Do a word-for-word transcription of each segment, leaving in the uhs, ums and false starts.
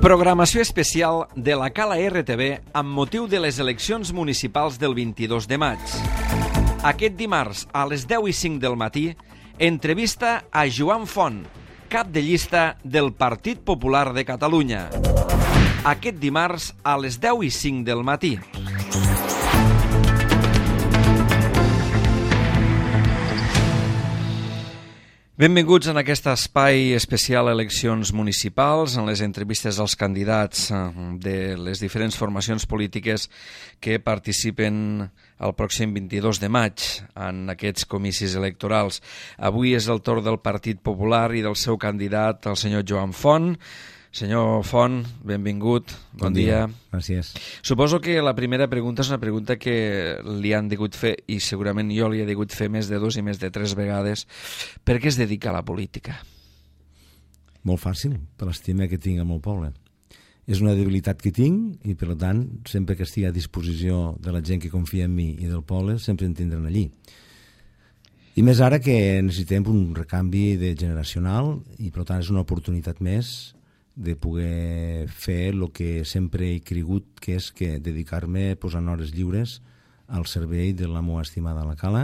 Programació especial de la Cala R T V amb motiu de les eleccions municipals del vint-i-dos de maig. Aquest dimarts, a les deu i cinc del matí, entrevista a Joan Font, cap de llista del Partit Popular de Catalunya. Aquest dimarts, a les deu i cinc del matí. Benvinguts en aquest espai especial eleccions municipals, en les entrevistes als candidats de les diferents formacions polítiques que participen el pròxim vint-i-dos de maig en aquests comicis electorals. Avui és el torn del Partit Popular i del seu candidat, el senyor Joan Font. Senyor Font, benvingut, bon, bon dia. dia. Gràcies. Suposo que la primera pregunta és una pregunta que li han degut fer, i segurament jo li he degut fer més de dos i més de tres vegades. Per què es dedica a la política? Molt fàcil, per l'estima que tinc al meu poble. És una debilitat que tinc i, per tant, sempre que estigui a disposició de la gent que confia en mi i del poble, sempre em tindran allí. I més ara que necessitem un recanvi de generacional i, per tant, és una oportunitat més de poder fer el que sempre he cregut, que és que dedicar-me posant hores lliures al servei de la meva estimada a la Cala,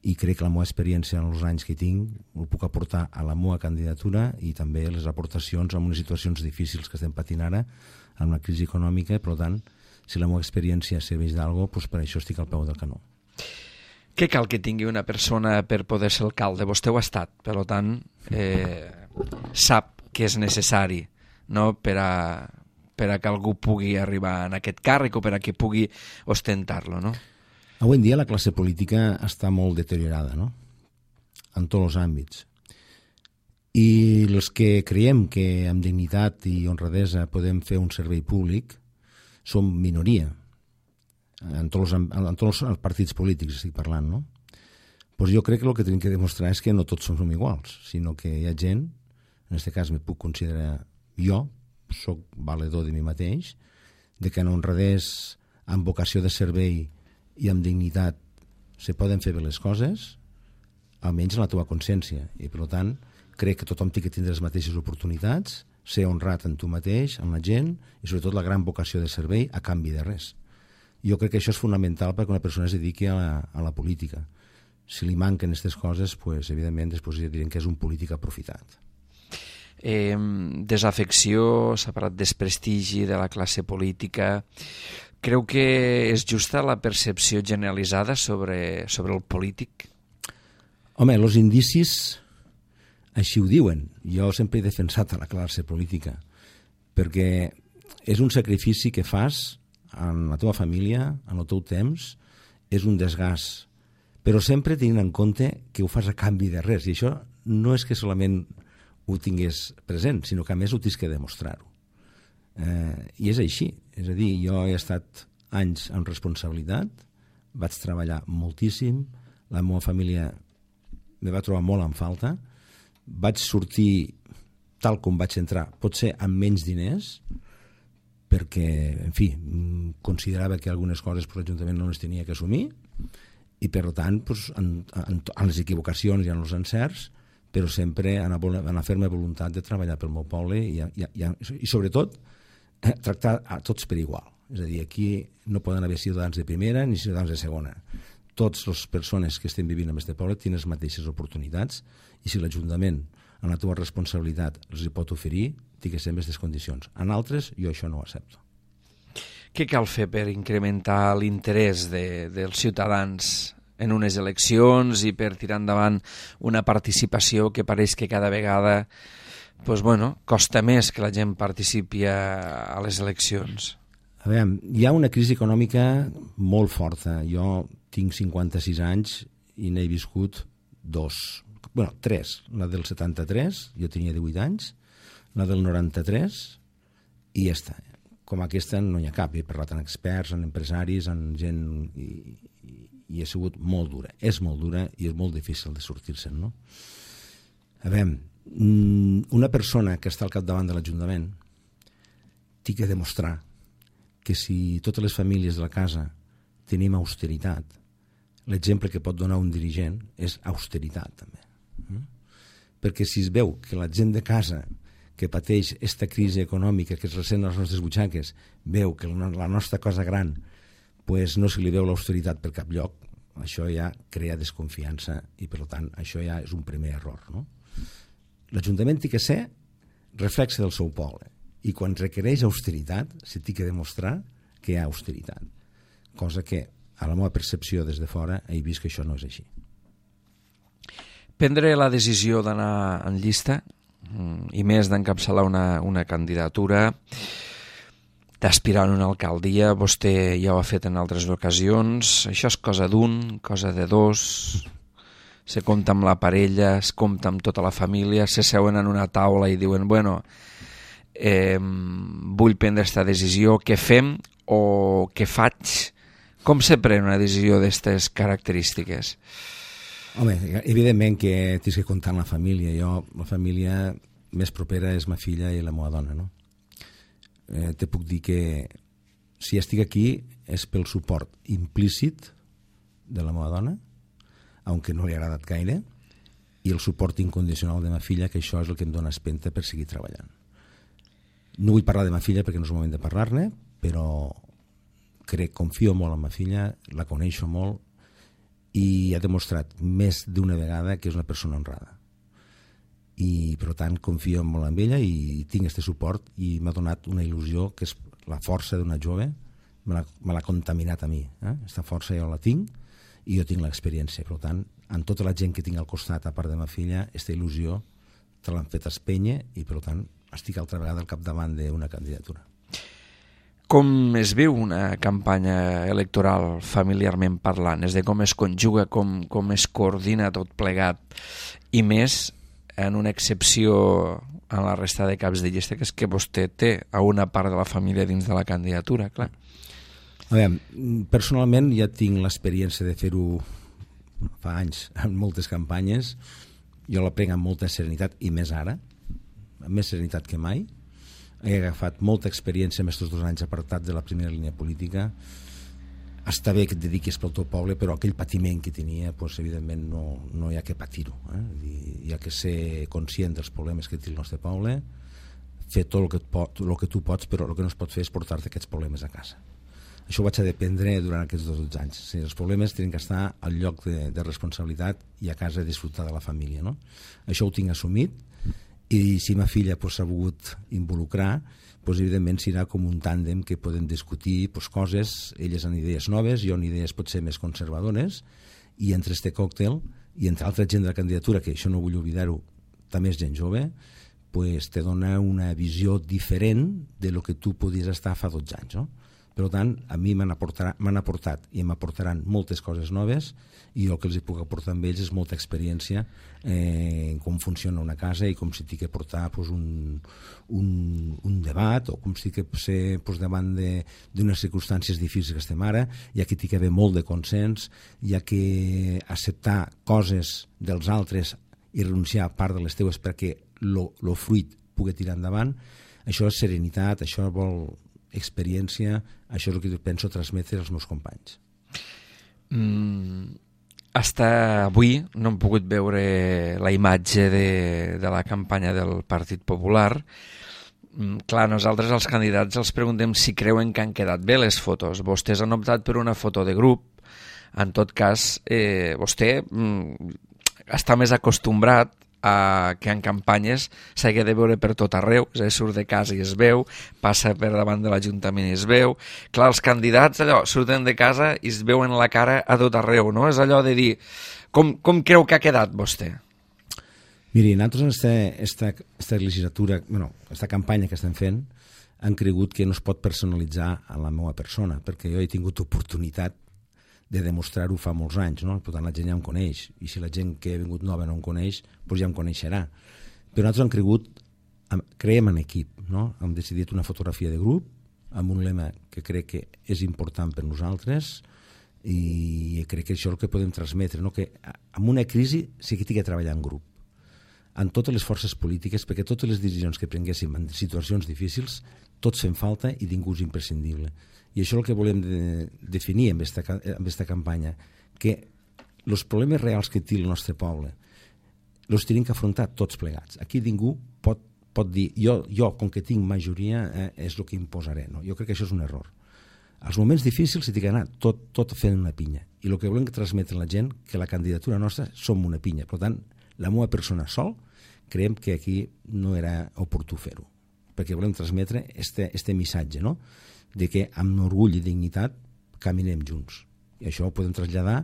i crec que la meva experiència en els anys que tinc ho puc aportar a la meva candidatura i també les aportacions en unes situacions difícils que estem patint ara amb la crisi econòmica. Per tant, si la meva experiència serveix d'algo, doncs per això estic al peu del canó. Què cal que tingui una persona per poder ser alcalde? Vostè ho ha estat, per tant, eh, sap que és necessari, no? per, a, per a que algú pugui arribar en aquest càrrec o per a que pugui ostentar-lo, no? Avui en dia la classe política està molt deteriorada, no? En tots els àmbits. I els que creiem que amb dignitat i honradesa podem fer un servei públic som minoria. En tots els, en tots els partits polítics estic parlant, no? Pues jo crec que el que tenim que demostrar és que no tots som iguals, sinó que hi ha gent, en aquest cas me puc considerar jo, soc valedor de mi mateix, de que en honradès, amb vocació de servei i amb dignitat se poden fer bé les coses, almenys en la teva consciència. I, per tant, crec que tothom té que tindre les mateixes oportunitats, ser honrat en tu mateix, amb la gent, i sobretot la gran vocació de servei a canvi de res. Jo crec que això és fonamental perquè una persona es dediqui a la, a la política. Si li manquen aquestes coses, pues, evidentment, després diran que és un polític aprofitat. Eh, desafecció, s'ha parlat desprestigi de la classe política. Creu que és justa la percepció generalitzada sobre, sobre el polític? Home, els indicis així ho diuen. Jo sempre he defensat a la classe política perquè és un sacrifici que fas en la teva família, en el teu temps, és un desgast, però sempre tenint en compte que ho fas a canvi de res, i això no és que solament ho tingués present, sinó que a més ho tens que demostrar-ho. Eh, I és així, és a dir, jo he estat anys amb responsabilitat, vaig treballar moltíssim, la meva família me va trobar molt en falta, vaig sortir tal com vaig entrar, potser amb menys diners, perquè, en fi, considerava que algunes coses per l'Ajuntament no les tenia que assumir, i per tant, doncs, en, en, en les equivocacions i en els encerts, però sempre en la ferma voluntat de treballar pel meu poble i, i, i, i sobretot, eh, tractar a tots per igual. És a dir, aquí no poden haver ciutadans de primera ni ciutadans de segona. Totes les persones que estem vivint en aquest poble tenen les mateixes oportunitats i si l'Ajuntament, en la teva responsabilitat, els hi pot oferir, té que ser en aquestes condicions. En altres, jo això no ho accepto. Què cal fer per incrementar l'interès de, dels ciutadans en unes eleccions i per tirar endavant una participació que pareix que cada vegada pues, bueno, costa més que la gent participi a, a les eleccions? A veure, hi ha una crisi econòmica molt forta. Jo tinc cinquanta-sis anys i n'he viscut dos, bueno, tres. La del setanta-tres, jo tenia divuit anys, la del noranta-tres i ja està. Com aquesta no n'hi ha cap. He parlat amb experts, amb empresaris, amb gent i, i, i ha sigut molt dura. És molt dura i és molt difícil de sortir-se'n, no? A veure, una persona que està al capdavant de l'Ajuntament té que demostrar que si totes les famílies de la casa tenim austeritat, l'exemple que pot donar un dirigent és austeritat, també. Perquè si es veu que la gent de casa que pateix aquesta crisi econòmica que es ressent a les nostres butxaques, veu que la nostra cosa gran pues, no se li veu l'austeritat per cap lloc, això ja crea desconfiança i, per tant, això ja és un primer error. No? L'Ajuntament té que ser reflexe del seu poble i quan requereix austeritat se té que demostrar que hi ha austeritat, cosa que a la meva percepció des de fora he vist que això no és així. Prendre la decisió d'anar en llista i més d'encapçalar una, una candidatura, d'aspirar a una alcaldia, vostè ja ho ha fet en altres ocasions, això és cosa d'un, cosa de dos, se compta amb la parella, es compta amb tota la família, se seuen en una taula i diuen, bueno, eh, vull prendre aquesta decisió, què fem o què faig? Com se pren una decisió d'aquestes característiques? Home, evidentment que tens que comptar amb la família. Jo, la família més propera és ma filla i la meva dona, no? Eh, te puc dir que si estic aquí és pel suport implícit de la meva dona, aunque no li ha agradat gaire, i el suport incondicional de ma filla, que això és el que em dona espenta per seguir treballant. No vull parlar de ma filla perquè no és el moment de parlar-ne, però crec, confio molt en ma filla, la coneixo molt, i ha demostrat més d'una vegada que és una persona honrada. I, per tant, confio molt en ella i tinc aquest suport i m'ha donat una il·lusió que és la força d'una jove, me l'ha, me l'ha contaminat a mi. Aquesta eh? força jo la tinc i jo tinc l'experiència. Per tant, amb tota la gent que tinc al costat, a part de ma filla, aquesta il·lusió te l'han fet espènyer i, per tant, estic altra vegada al capdavant d'una candidatura. Com es viu una campanya electoral familiarment parlant? És de com es conjuga, com, com es coordina tot plegat, i més en una excepció en la resta de caps de llista, que és que vostè té a una part de la família dins de la candidatura, clar. A veure, personalment ja tinc l'experiència de fer-ho fa anys en moltes campanyes. Jo la prenc amb molta serenitat i més ara, amb més serenitat que mai. He agafat molta experiència en aquests dos anys apartat de la primera línia política. Està bé que et dediquis pel teu poble, però aquell patiment que tenia, doncs, evidentment no, no hi ha que patir-ho. Eh? Hi ha que ser conscient dels problemes que té el nostre poble, fer tot el que, pot, el que tu pots, però el que no es pot fer és portar-te aquests problemes a casa. Això ho vaig a dependre durant aquests dos anys. O sigui, els problemes tenen que estar al lloc de, de responsabilitat i a casa disfrutar de la família. No? Això ho tinc assumit. I si ma filla s'ha pues, volgut involucrar, pues, evidentment serà com un tàndem que podem discutir pues, coses, elles han idees noves, jo en idees potser més conservadores, i entre este còctel i entre altra gent de la candidatura, que això no vull oblidar-ho, també és gent jove, pues, te dona una visió diferent de lo que tu podies estar fa dotze anys. No? Per tant, a mi m'han aportat i m'aportaran moltes coses noves i el que els puc aportar amb ells és molta experiència eh, en com funciona una casa i com si tinc que portar pues, un, un, un debat o com si tinc que ser pues, davant d'unes circumstàncies difícils que estem ara, ja que tinc que haver molt de consens, ja que acceptar coses dels altres i renunciar a part de les teues perquè el fruit pugui tirar endavant. Això és serenitat, això vol experiència, això és el que penso transmetre als meus companys. Mm, hasta avui no hem pogut veure la imatge de, de la campanya del Partit Popular. Mm, clar, nosaltres els candidats els preguntem si creuen que han quedat bé les fotos. Vostès han optat per una foto de grup. En tot cas, eh, vostè mm, està més acostumbrat a que en campanyes s'hagi de veure per tot arreu, és a dir, surt de casa i es veu, passa per davant de l'Ajuntament i es veu. Clar, els candidats allò surten de casa i es veuen la cara a tot arreu, no? És allò de dir, com, com creu que ha quedat vostè? Miri, nosaltres en esta, esta, esta legislatura, bueno, esta campanya que estem fent, han cregut que no es pot personalitzar a la meva persona, perquè jo he tingut oportunitat de demostrar-ho fa molts anys, no? Per tant, la gent ja em coneix, i si la gent que ha vingut nova no em coneix, doncs ja em coneixerà. Però nosaltres hem cregut, creiem en equip, no? Hem decidit una fotografia de grup, amb un lema que crec que és important per nosaltres, i crec que això és el que podem transmetre, no? Que en una crisi sí que tinc que treballar en grup, en totes les forces polítiques, perquè totes les decisions que prenguéssim en situacions difícils, tots fem falta i ningú és imprescindible. I això és el que volem de, definir amb esta, amb esta campanya, que els problemes reals que té el nostre poble els tenim que afrontar tots plegats. Aquí ningú pot pot dir, jo, jo com que tinc majoria, eh, és el que imposaré. No? Jo crec que això és un error. Als moments difícils s'hi ha d'anar tot, tot fent una pinya. I el que volem transmetre a la gent que la candidatura nostra som una pinya. Per tant, la meva persona sol, creiem que aquí no era oportú fer-ho. Perquè volem transmetre este, este missatge, no? De que amb orgull i dignitat caminem junts. I això ho podem traslladar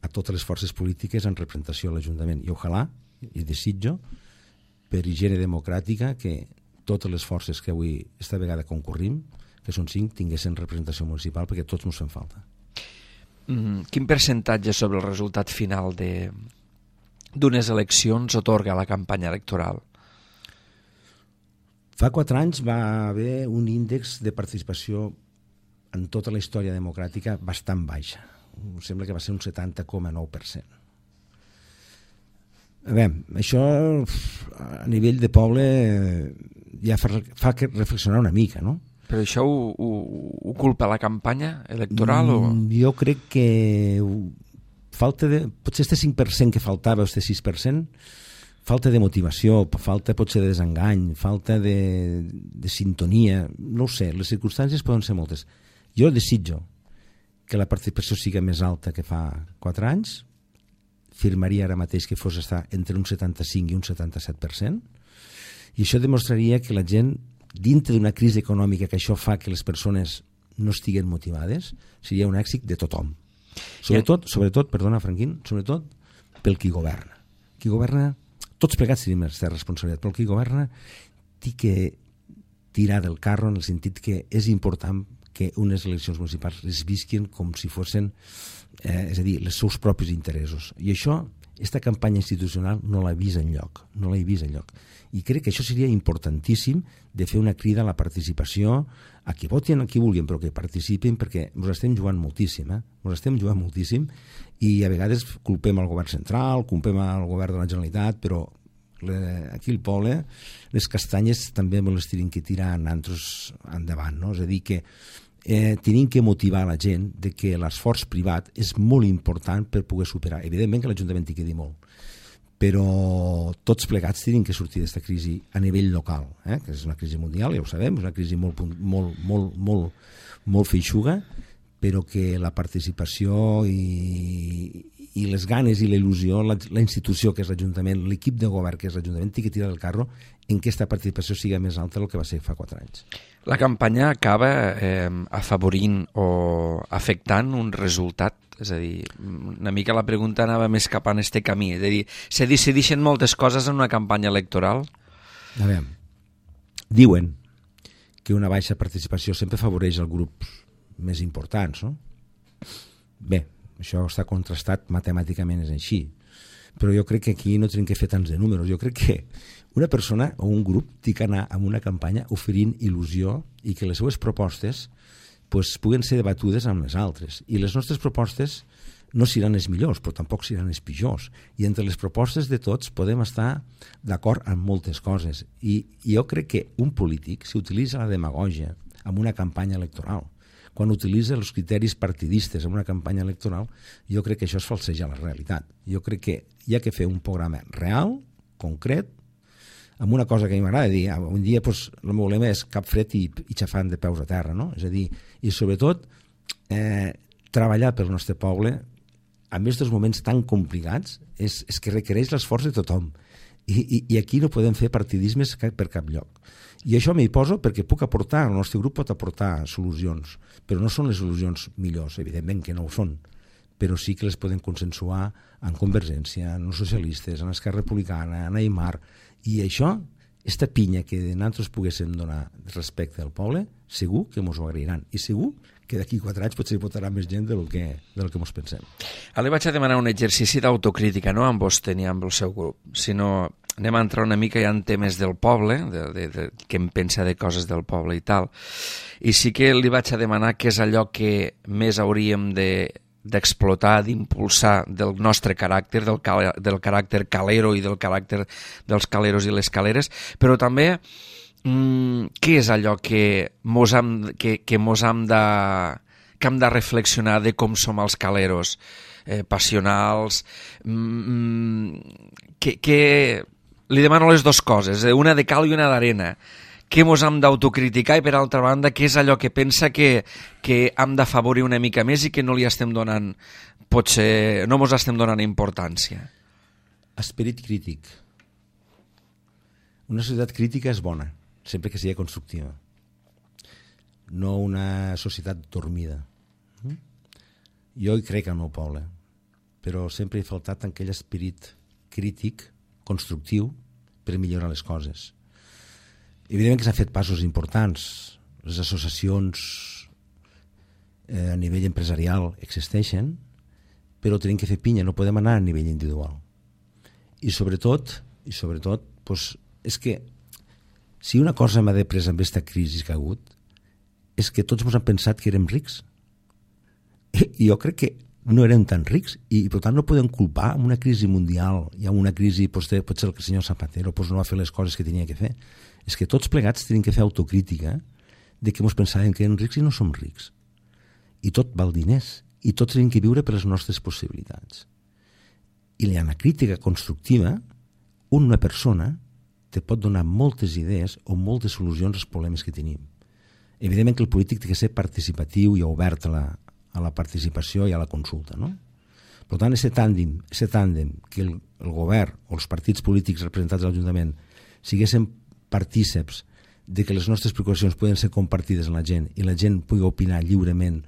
a totes les forces polítiques en representació a l'Ajuntament. I ojalà, i desitjo, per higiene democràtica, que totes les forces que avui esta vegada concurrim, que són cinc, tinguessin representació municipal, perquè tots ens fem falta. Mm, quin percentatge sobre el resultat final de d'unes eleccions otorga la campanya electoral? Fa quatre anys va haver un índex de participació en tota la història democràtica bastant baixa. Em sembla que va ser un setanta coma nou per cent. Bé, això a nivell de poble ja fa, fa que reflexionar una mica, no? Però això ho, ho, ho culpa la campanya electoral? O... Jo crec que falta de... Potser este cinc per cent que faltava, este sis per cent, falta de motivació, falta potser de desengany, falta de, de sintonia, no ho sé, les circumstàncies poden ser moltes. Jo desitjo que la participació sigui més alta que fa quatre anys, firmaria ara mateix que fos estar entre un setanta-cinc i un setanta-set per cent, i això demostraria que la gent, dintre d'una crisi econòmica que això fa que les persones no estiguen motivades, seria un èxit de tothom. Sobretot, sobretot, perdona, Franquín, sobretot pel qui governa. Qui governa, tots plegats tenim aquesta responsabilitat, però el qui governa té que tirar del carro en el sentit que és important que unes eleccions municipals es visquin com si fossin, eh, és a dir, els seus propis interessos. I això, aquesta campanya institucional no l'ha vist enlloc, no l'he vist enlloc. I crec que això seria importantíssim de fer una crida a la participació, a qui votin, a qui vulguin, però que participin, perquè ens estem jugant moltíssim, eh? Ens estem jugant moltíssim, i a vegades culpem al govern central, culpem al govern de la Generalitat, però aquí al poble les castanyes també me les tenim que tirar nosaltres endavant, no? És a dir, que eh, tenim que motivar la gent de que l'esforç privat és molt important per poder superar. Evidentment que l'Ajuntament hi quedi molt, però tots plegats tenim que sortir d'aquesta crisi a nivell local, eh? Que és una crisi mundial, ja ho sabem, és una crisi molt, molt, molt, molt, molt feixuga, però que la participació i, i les ganes i la il·lusió, la, la institució que és l'Ajuntament, l'equip de govern que és l'Ajuntament, té que tirar del carro en què aquesta participació sigui més alta del que va ser fa quatre anys. La campanya acaba eh, afavorint o afectant un resultat? És a dir, una mica la pregunta anava més cap en este camí. És a dir, se decideixen moltes coses en una campanya electoral? A veure, diuen que una baixa participació sempre afavoreix els grups més importants, no? Bé, això està contrastat matemàticament, és així. Però jo crec que aquí no tenim que fer tants de números. Jo crec que una persona o un grup té que anar amb una campanya oferint il·lusió i que les seues propostes pues, puguen ser debatudes amb les altres. I les nostres propostes no seran les millors, però tampoc seran les pitjors. I entre les propostes de tots podem estar d'acord en moltes coses. I jo crec que un polític, si utilitza la demagògia en una campanya electoral, quan utilitza els criteris partidistes en una campanya electoral, jo crec que això és falsejar la realitat. Jo crec que hi ha que fer un programa real, concret, amb una cosa que a mi m'agrada dir, un dia pues, el meu lema és cap fred i, i xafant de peus a terra, no? És a dir, i sobretot eh, treballar pel nostre poble en aquests moments tan complicats és, és que requereix l'esforç de tothom. I, i, I aquí no podem fer partidismes per cap lloc. I això m'hi poso perquè puc aportar, el nostre grup pot aportar solucions, però no són les solucions millors, evidentment que no ho són, però sí que les podem consensuar en Convergència, en els socialistes, en Esquerra Republicana, en Aimar, i això, aquesta pinya que nosaltres poguéssim donar respecte al poble, segur que ens ho agrairan, i segur que d'aquí quatre anys potser hi votarà més gent del que, del que ens pensem. Ara li vaig a demanar un exercici d'autocrítica, no amb vostè ni amb el seu grup, sinó anem a entrar una mica ja en temes del poble, de, de, de, què em pensa de coses del poble i tal, i sí que li vaig a demanar què és allò que més hauríem de d'explotar, d'impulsar del nostre caràcter, del, cal, del caràcter calero i del caràcter dels caleros i les caleres, però també mmm, què és allò que mos hem, que, que mos hem de, que hem de reflexionar de com som els caleros, eh, passionals, mmm, que, que li demano les dues coses, una de cal i una d'arena. Què mos hem d'autocriticar i, per altra banda, què és allò que pensa que, que hem d'afavorir una mica més i que no li estem donant, potser, no mos estem donant importància? Esperit crític. Una societat crítica és bona, sempre que sigui constructiva. No una societat dormida. Jo hi crec al meu poble, però sempre he faltat aquell esperit crític, constructiu, per millorar les coses. Evidentment que s'han fet passos importants. Les associacions eh, a nivell empresarial existeixen, però tenim que fer pinya, no podem anar a nivell individual. I sobretot, i sobretot, doncs, és que si una cosa m'ha de presa amb aquesta crisi que ha hagut, és que tots ens han pensat que érem rics. I jo crec que no érem tan rics i, per tant, no podem culpar amb una crisi mundial i amb una crisi, potser, potser el senyor Zapatero doncs no va fer les coses que tenia que fer. És que tots plegats tenim que fer autocrítica de que ens pensàvem que érem rics i no som rics. I tot val diners. I tots tenim que viure per les nostres possibilitats. I la crítica constructiva, una persona te pot donar moltes idees o moltes solucions als problemes que tenim. Evidentment que el polític té que ser participatiu i obert a la, a la participació i a la consulta, no? Per tant, aquest tàndem, aquest tàndem que el, el govern o els partits polítics representats a l'Ajuntament siguessin partíceps de que les nostres preocupacions poden ser compartides amb la gent i la gent pugui opinar lliurement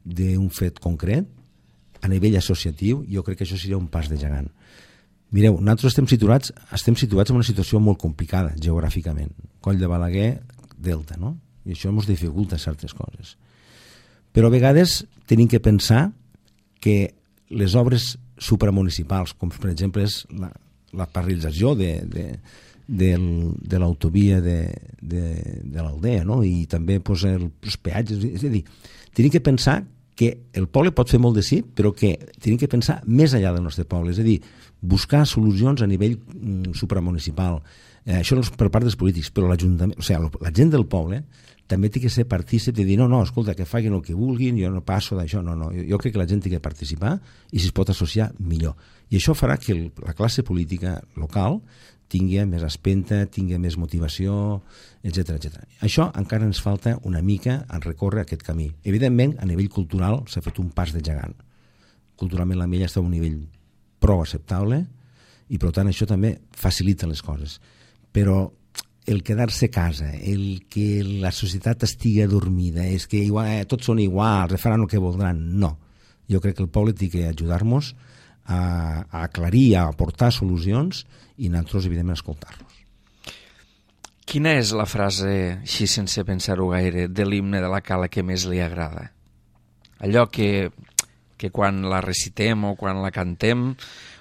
d'un fet concret, a nivell associatiu, jo crec que això seria un pas de gegant. Mireu, nosaltres estem situats, estem situats en una situació molt complicada geogràficament. Coll de Balaguer, Delta, no? I això ens dificulta certes coses. Però a vegades tenim que pensar que les obres supramunicipals, com per exemple és la, la paralització de, de, de, de l'autovia de, de, de l'Aldea, no? I també pues, el, els peatges, és a dir, tenim que pensar que el poble pot fer molt de sí, però que tenim que pensar més enllà del nostre poble, és a dir, buscar solucions a nivell mm, supramunicipal. Eh, això no és per part dels polítics, però l'Ajuntament, o sigui, la gent del poble també té que ser partícip de dir, no, no, escolta, que facin el que vulguin, jo no passo d'això, no, no, jo, jo crec que la gent té que participar i si es pot associar, millor. I això farà que el, la classe política local tingui més espenta, tingui més motivació, etcètera, etcètera. Això encara ens falta una mica en recórrer aquest camí. Evidentment, a nivell cultural s'ha fet un pas de gegant. Culturalment la Mella està a un nivell prou acceptable i, per tant, això també facilita les coses. Però el quedar-se a casa, el que la societat estigui adormida, és que igual, eh, tots són iguals, faran el que voldran, no. Jo crec que el poble té que ajudar-nos a, a aclarir, a aportar solucions i nosaltres, evidentment, escoltar-los. Quina és la frase, així sense pensar-ho gaire, de l'himne de la Cala que més li agrada? Allò que, que quan la recitem o quan la cantem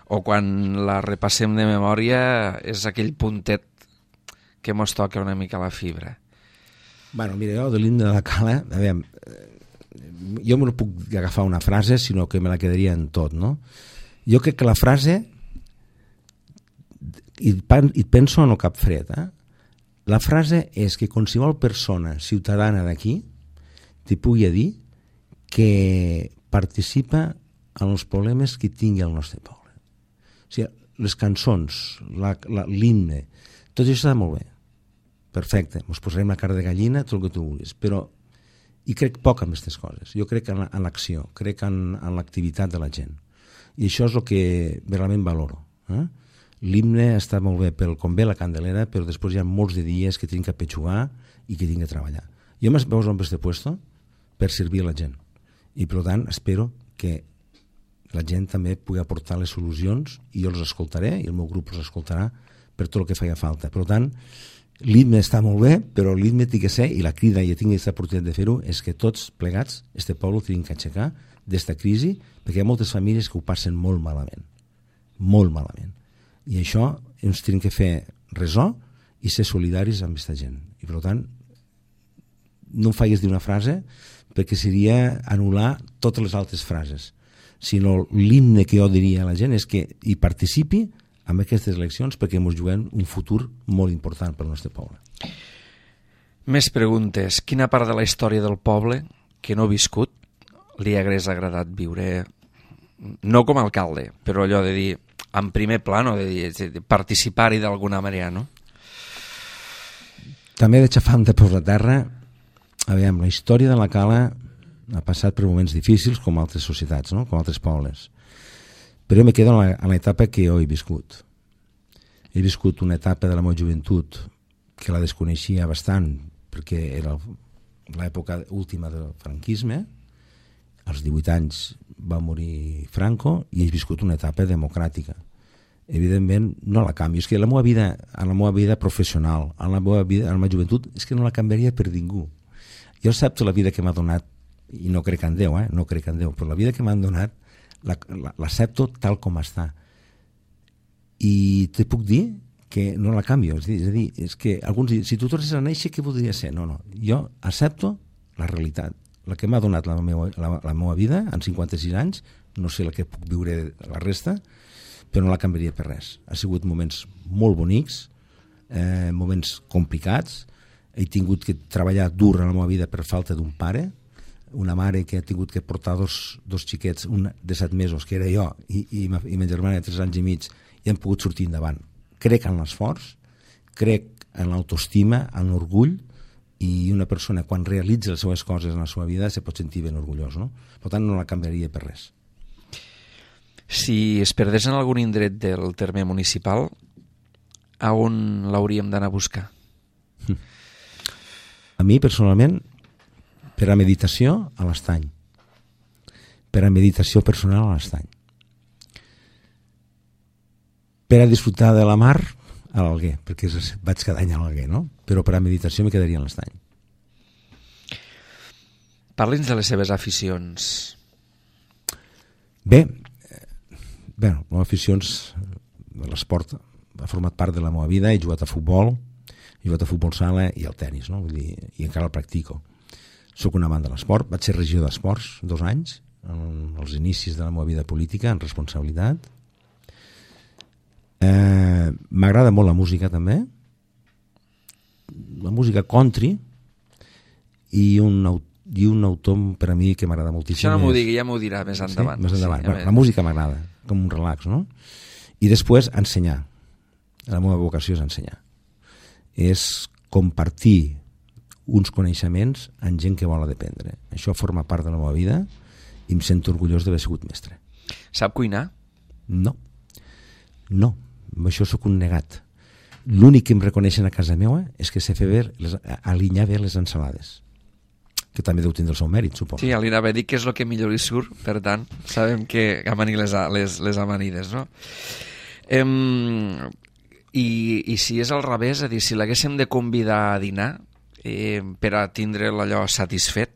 o quan la repassem de memòria és aquell puntet que mos toca una mica la fibra. Bueno, mira, jo de l'himne de la Cala, a veure, jo no puc agafar una frase, sinó que me la quedaria en tot, no? Jo crec que la frase, i, i penso en el cap fred, eh? La frase és que qualsevol persona ciutadana d'aquí t'hi pugui dir que participa en els problemes que tingui el nostre poble. O sigui, les cançons, l'himne, tot això està molt bé. Perfecte, ens posarem la cara de gallina, tot el que tu vulguis, però i crec poc en aquestes coses. Jo crec en l'acció, crec en, en l'activitat de la gent. I això és el que realment valoro. Eh? L'himne està molt bé pel com ve la Candelera, però després hi ha molts de dies que tinc que petxugar i que tinc que treballar. Jo m'he posat en aquest puesto per servir a la gent. I, per tant, espero que la gent també pugui aportar les solucions i jo els escoltaré i el meu grup els escoltarà per tot el que feia falta. Per tant, l'himne està molt bé, però l'himne té que ser, i la crida, i tinc aquesta oportunitat de fer-ho, és que tots plegats, este poble, tenim que aixecar d'esta crisi, perquè hi ha moltes famílies que ho passen molt malament. Molt malament. I això ens tenim que fer resó i ser solidaris amb aquesta gent. I, per tant, no em faigues dir una frase perquè seria anul·lar totes les altres frases, sinó l'himne que jo diria a la gent és que hi participi en aquestes eleccions perquè ens juguem un futur molt important per al nostre poble. Més preguntes. Quina part de la història del poble que no ha viscut li hagués agradat viure, no com a alcalde, però allò de dir, en primer plano, de, de participar-hi d'alguna manera, no? També de xafar de peus a terra. Aviam, la història de la Cala ha passat per moments difícils com altres societats, no? Com altres pobles. Però jo me quedo en l'etapa que jo he viscut. He viscut una etapa de la meva joventut que la desconeixia bastant perquè era l'època última del franquisme. Als divuit anys va morir Franco i he viscut una etapa democràtica. Evidentment no la canvio, és que la meva vida, en la meva vida professional, en la meva vida, en la meva joventut, és que no la canviaria per ningú. Jo accepto la vida que m'ha donat, i no crec en Déu, eh? no crec en Déu, però la vida que m'han donat l'accepto tal com està. I te puc dir que no la canvio, és a dir, és, a dir, és que alguns diuen, si tu tornessis a néixer, què voldria ser? No, no, jo accepto la realitat, la que m'ha donat la meva, la, la meva vida en cinquanta-sis anys, no sé la que puc viure la resta, però no la canviaria per res. Ha sigut moments molt bonics, eh, moments complicats, he tingut que treballar dur en la meva vida per falta d'un pare, una mare que ha tingut que portar dos, dos xiquets, un de set mesos, que era jo, i, i, ma, i ma germana de tres anys i mig, i hem pogut sortir endavant. Crec en l'esforç, crec en l'autoestima, en l'orgull, i una persona quan realitza les seves coses en la seva vida se pot sentir ben orgullós, no? Per tant, no la canviaria per res. Si es perdés en algun indret del terme municipal, a on l'hauríem d'anar a buscar? A mi, personalment, per a meditació, a l'Estany. Per a meditació personal, a l'Estany. Per a disfrutar de la mar, a l'Alguer, perquè vaig cada any a l'Alguer, no? Però per a meditació me quedaria a l'Estany. Parli'ns de les seves aficions. Bé, bé, les aficions de l'esport ha format part de la meva vida. He jugat a futbol, he jugat a futbol sala i al tenis, no? Vull dir, i encara el practico. Soc un amant de l'esport, vaig ser regidor d'esports dos anys, als inicis de la meva vida política, en responsabilitat. Eh, m'agrada molt la música també, la música country, i un, i un autor per a mi que m'agrada moltíssim. Això no m'ho digui, ja m'ho dirà més endavant. Sí? Més endavant. Sí, bueno, la música m'agrada, com un relax, no? I després ensenyar. La meva vocació és ensenyar. És compartir uns coneixements amb gent que vol aprendre. Això forma part de la meva vida i em sento orgullós d'haver sigut mestre. Sap cuinar? No. No. Amb això sóc un negat. L'únic que em reconeixen a casa meva és que sé fer bé, les, alinear bé les ensalades. Que també deu tindre el seu mèrit, suposo. Sí, li anava a dir que és el que millor li surt, per tant, sabem que amanir les, les, les amanides, no? Em, i, I si és al revés, és a dir, si l'haguéssim de convidar a dinar eh, per a tindre allò satisfet,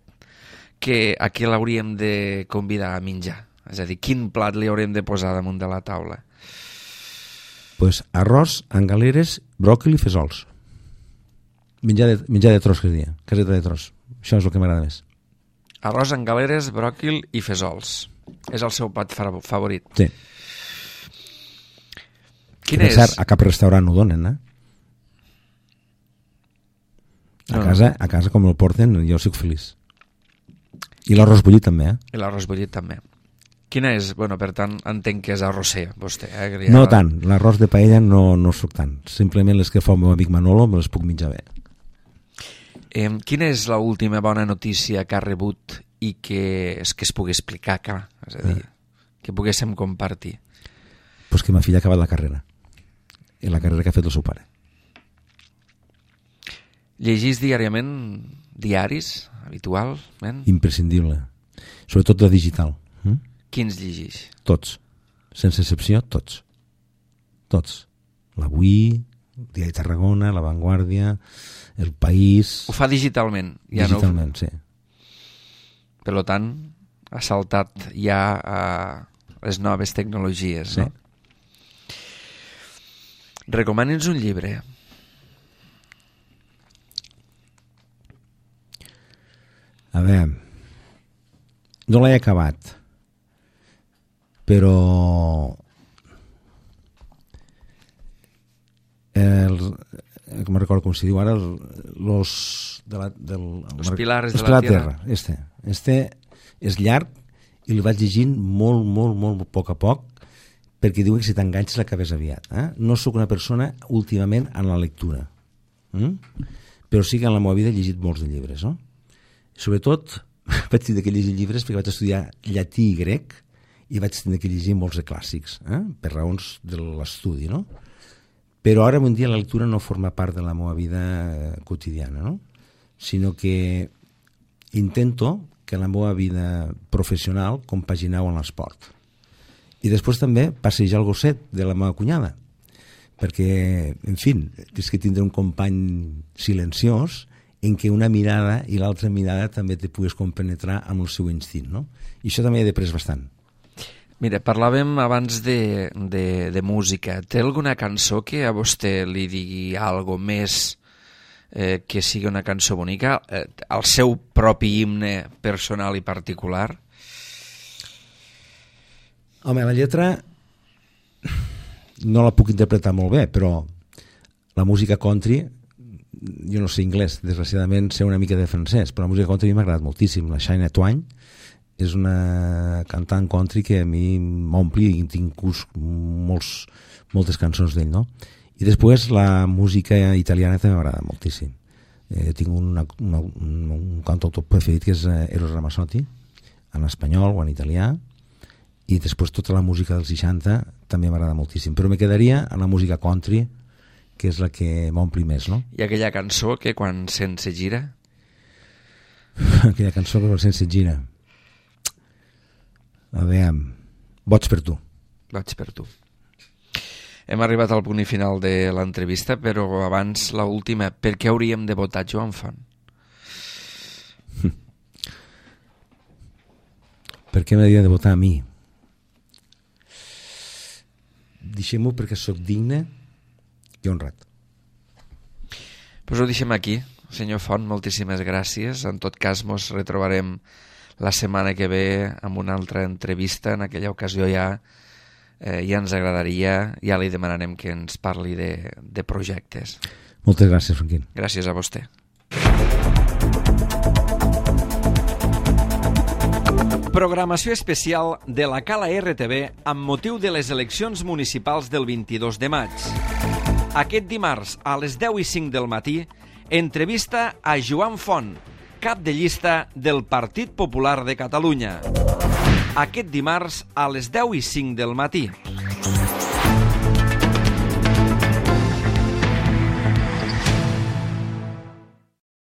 que a què l'hauríem de convidar a menjar? És a dir, quin plat li haurem de posar damunt de la taula? Pues arròs amb galeres, bròquil i fesols. Menjar de, menjar de tros, que es dia. Caseta de tros. Això és el que m'agrada més. Arròs amb galeres, bròquil i fesols. És el seu plat favorit. Sí. Quin és? Cert, a cap restaurant ho donen, eh? A, no, casa, a casa, com el porten, jo soc feliç. I l'arròs bullit també, eh? I l'arròs bullit també. Quina és? Bueno, per tant, entenc que és arrosser, vostè. Eh? Ja... No tant, l'arròs de paella no, no soc tant. Simplement les que fa el meu amic Manolo me les puc menjar bé. Eh, quina és l'última bona notícia que ha rebut i que es, que es pugui explicar, clar, és a dir, eh. que poguéssim compartir? Pues que ma filla ha acabat la carrera. I la carrera que ha fet el seu pare. Llegís diàriament diaris, habitualment? Imprescindible. Sobretot de digital. Mm? Quins llegeix? Tots. Sense excepció, tots. Tots. L'Avui, el Diari de Tarragona, La Vanguardia, El País... Ho fa digitalment? Ja digitalment, no... sí. Per tant, ha saltat ja a les noves tecnologies, sí. No? Recomani'ns un llibre. A veure, no l'he acabat, però el, com recordo com s'hi diu ara, los, de la, del, los pilares los de la terra. Este, este és llarg i el vaig llegint molt, molt, molt a poc a poc, perquè diuen que si t'enganxes l'acabes aviat. Eh? No sóc una persona últimament en la lectura, mm? però sí que en la meva vida he llegit molts de llibres. No? Sobretot vaig tenir que llegir llibres perquè vaig estudiar llatí i grec i vaig tenir que llegir molts de clàssics, eh? per raons de l'estudi. No? Però ara un dia la lectura no forma part de la meva vida quotidiana, no? Sinó que intento que la meva vida professional compaginau amb l'esport. I després també passejar el gosset de la meva cunyada, perquè, en fi, és que tindré un company silenciós en què una mirada i l'altra mirada també te pugues compenetrar amb el seu instint, no? I això també he après bastant. Mira, parlàvem abans de, de, de música. Té alguna cançó que a vostè li digui algo més eh, que sigui una cançó bonica? Eh, el seu propi himne personal i particular? Home, la lletra no la puc interpretar molt bé, però la música country, jo no sé anglès, desgraciadament sé una mica de francès, però la música country m'ha agradat moltíssim. La Shania Twain és una cantant country que a mi m'ompli i tinc molts, moltes cançons d'ell, no? I després la música italiana també m'agrada moltíssim. Eh, tinc una, una, un, un cantautor preferit que és Eros Ramazzotti, en espanyol o en italià, i després tota la música dels seixanta també m'agrada moltíssim, però me quedaria en la música country, que és la que m'ompli més, no? I aquella cançó que quan sent se gira? Aquella cançó que quan sent se gira. A veure, Boig per tu. Boig per tu. Hem arribat al punt i final de l'entrevista, però abans la última, per què hauríem de votar Joan Font? Per què m'hauria de votar a mi? Deixem-ho perquè sóc digne i honrat. Pues ho deixem aquí, senyor Font, moltíssimes gràcies. En tot cas, mos retrobarem la setmana que ve amb una altra entrevista. En aquella ocasió ja, eh, ja ens agradaria, ja li demanarem que ens parli de, de projectes. Moltes gràcies, Franquín. Gràcies a vostè. Programació especial de la Cala R T V amb motiu de les eleccions municipals del vint-i-dos de maig. Aquest dimarts a les deu i cinc del matí, entrevista a Joan Font, cap de llista del Partit Popular de Catalunya. Aquest dimarts a les deu i cinc del matí.